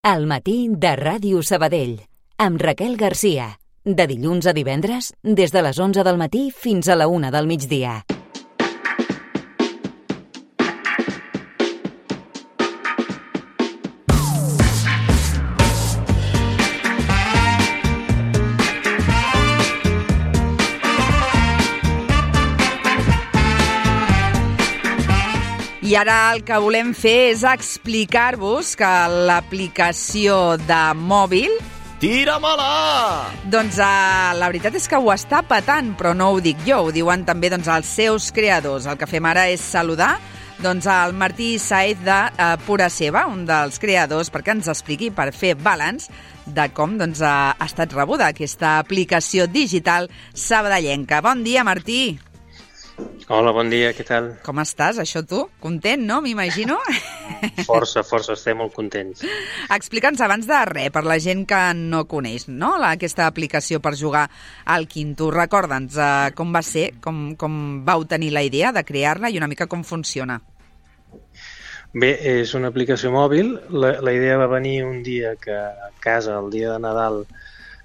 Al matí de Ràdio Sabadell, amb Raquel Garcia. De dilluns a divendres, des de les 11 del matí fins a la 1 del migdia. I ara el que volem fer és explicar-vos que l'aplicació de mòbil... Tira-me-la! Doncs la veritat és que ho està patant, però no ho dic jo, ho diuen també els seus creadors. El que fem ara és saludar el Martí Sáez de Pura Ceba, un dels creadors, perquè ens expliqui, per fer balanç de com ha estat rebuda aquesta aplicació digital sabadellenca. Bon dia, Martí! Hola, bon dia, què tal? Com estàs, això tu? Content, no? M'imagino? Força, estem molt contents. Explica'ns abans de res, per la gent que no coneix, no?, aquesta aplicació per jugar al Quinto. Recorda'ns com va ser, com vau tenir la idea de crear-la i una mica com funciona. Bé, és una aplicació mòbil. La idea va venir un dia que a casa, el dia de Nadal,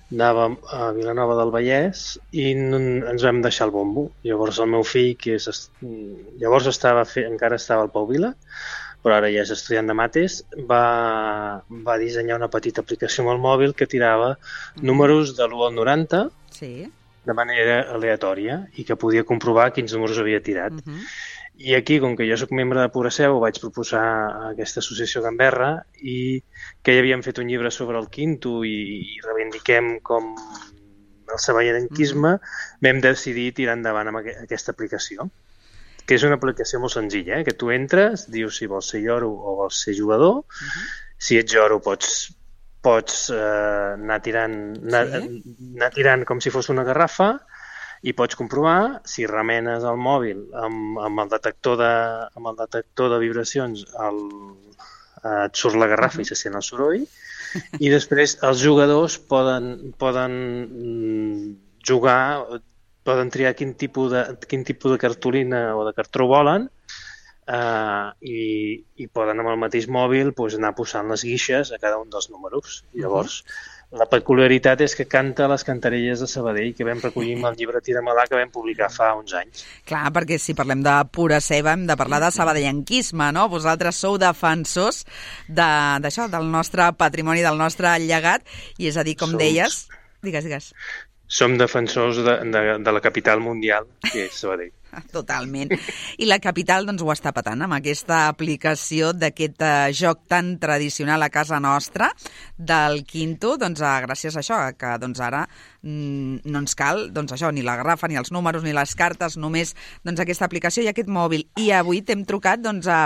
anàvem a Vilanova del Vallès i ens vam deixar el bombo. Llavors el meu fill, llavors encara estava al Pau Vila, però ara ja és estudiant de mates, va dissenyar una petita aplicació amb el mòbil que tirava números de l'1 al 90 de manera aleatòria i que podia comprovar quins números havia tirat. I aquí, com que jo soc membre de Pura Ceba, ho vaig proposar a aquesta associació Gamberra i que ja havíem fet un llibre sobre el Quinto i reivindiquem com el sabadellenquisme, vam decidir tirar endavant amb aquesta aplicació, que és una aplicació molt senzilla, que tu entres, dius si vols ser lloro o vols ser jugador. Si ets lloro pots anar tirant com si fos una garrafa, i pots comprovar si remenes el mòbil amb el detector de vibracions, et surt la garrafa i se sent el soroll, i després els jugadors poden jugar, poden triar quin tipus de cartolina o de cartró volen i poden amb el mateix mòbil anar posant les guixes a cada un dels números. Llavors, la peculiaritat és que canta les cantarelles de Sabadell que vam recollir amb el llibre Tira-me-la que vam publicar fa uns anys. Clar, perquè si parlem de Pura Ceba hem de parlar de sabadellenquisme, no? Vosaltres sou defensors d'això, del nostre patrimoni, del nostre llegat, i és a dir, com deies... Digues. Som defensors de la capital mundial, que és Sabadell. Totalment. I la capital ho està patant amb aquesta aplicació d'aquest joc tan tradicional a casa nostra del Quinto, gràcies a això, que ara no ens cal ni la garrafa, ni els números, ni les cartes, només aquesta aplicació i aquest mòbil. I avui t'hem trucat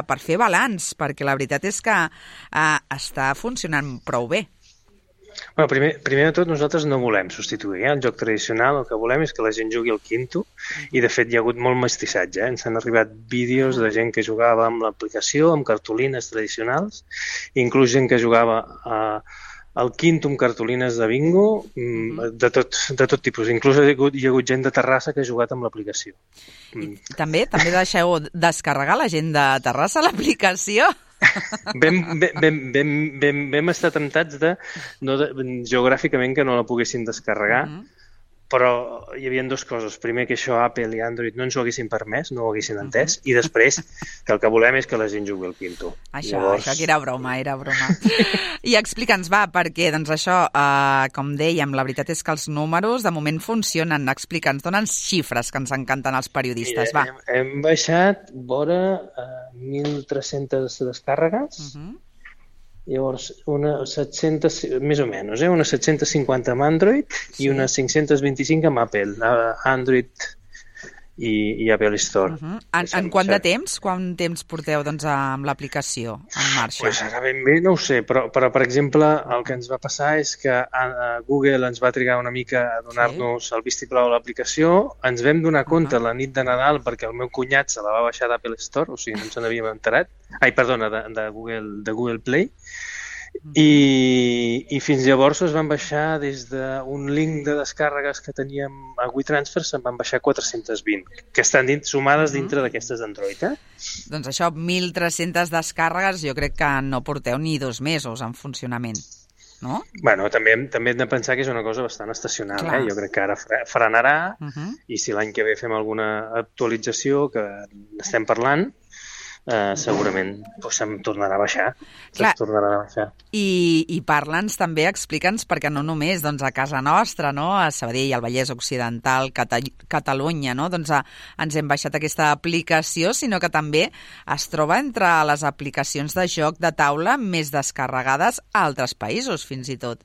per fer balanç, perquè la veritat és que està funcionant prou bé. Bueno, primer de tot, nosaltres no volem substituir el joc tradicional. El que volem és que la gent jugui al Quinto i, de fet, hi ha hagut molt mestissatge. Ens han arribat vídeos de gent que jugava amb l'aplicació, amb cartolines tradicionals, inclús gent que jugava al Quinto amb cartolines de bingo, de tot tipus. Inclús hi ha hagut gent de Terrassa que ha jugat amb l'aplicació. També deixeu descarregar la gent de Terrassa l'aplicació? Vam estar temptats geogràficament que no la poguessin descarregar, però hi havia dues coses. Primer, que això Apple i Android no ens ho haguessin permès, no ho haguessin entès, i després que el que volem és que la gent jugui al Quinto. Això que era broma. I explica'ns, perquè això, com dèiem, la veritat és que els números de moment funcionen. Explica'ns, dona'ns xifres que ens encanten els periodistes. Mira, hem baixat vora 1.300 descàrregues. Llavors, més o menys, unes 750 amb Android i unes 525 amb Apple, Android i Apple Store. En quant de temps? Quant temps porteu amb l'aplicació en marxa? Pues ara ben bé no ho sé, però per exemple el que ens va passar és que Google ens va trigar una mica a donar-nos el vistiplau a l'aplicació. Ens vam donar compte la nit de Nadal perquè el meu cunyat se la va baixar d'Apple Store, o sigui, no ens n'havíem enterat. De Google Play. I fins llavors es van baixar des d'un link de descàrregues que teníem a WeTransfer, se'n van baixar 420, que estan sumades dintre d'aquestes d'Android. Doncs això, 1.300 descàrregues, jo crec que no porteu ni 2 mesos en funcionament, no? Bueno, també hem de pensar que és una cosa bastant estacional. Jo crec que ara frenarà i si l'any que ve fem alguna actualització que estem parlant, segurament se'm tornarà a baixar. I parla'ns també, explica'ns, perquè no només a casa nostra, no? A Sabadell, al Vallès Occidental, Catalunya, no? Doncs ens hem baixat aquesta aplicació, sinó que també es troba entre les aplicacions de joc de taula més descarregades a altres països, fins i tot.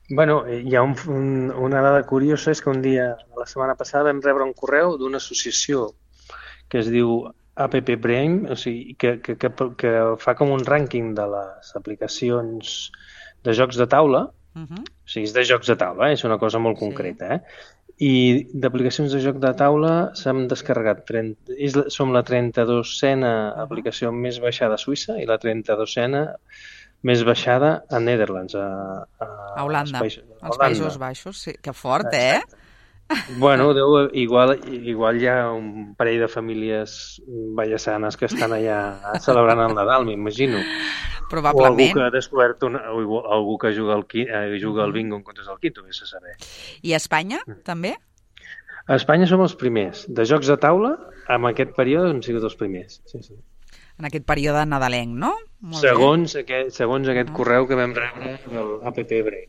Bueno, hi ha una dada curiosa, és que un dia, la setmana passada, vam rebre un correu d'una associació que es diu App Brain, o sigui, que fa com un rànquing de les aplicacions de jocs de taula, o sigui, és de jocs de taula, és una cosa molt concreta, i d'aplicacions de joc de taula s'han descarregat, som la 32a aplicació més baixada a Suïssa i la 32a més baixada a Netherlands, a Holanda, als Països Baixos, sí, que fort, Bueno, igual hi ha un parell de famílies vallesanes que estan allà celebrant el Nadal, m'imagino. Probablement. O algú que ha descobert algú que juga al bingo en comptes del quinto, vés a saber. I a Espanya, també? A Espanya som els primers. De jocs de taula, en aquest període hem sigut els primers. Sí. En aquest període nadalenc, no? Segons aquest correu que vam rebre del App Brain.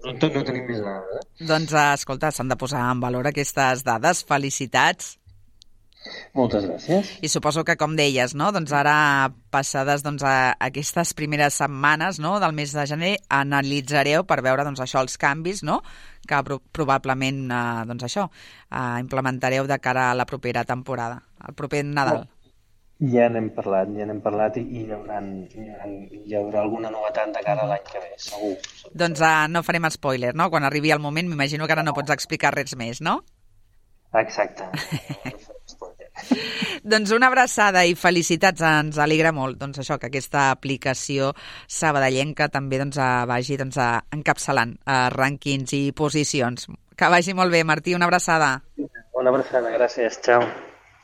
No tenim més dades. Doncs, escolta, s'han de posar en valor aquestes dades. Felicitats. Moltes gràcies. I suposo que, com deies, no? Doncs ara, passades aquestes primeres setmanes, no? Del mes de gener, analitzareu per veure això, els canvis, no? Que probablement implementareu de cara a la propera temporada, al proper Nadal. Ja n'hem parlat i hi haurà alguna novetat de cara a l'any que ve, segur. Doncs no farem spoiler, no? Quan arribi el moment, m'imagino que ara no pots explicar res més, no? Exacte. Doncs una abraçada i felicitats, ens alegra molt que aquesta aplicació sabadellenca també vagi encapçalant rànquings i posicions. Que vagi molt bé, Martí, una abraçada. Una abraçada, gràcies, ciao.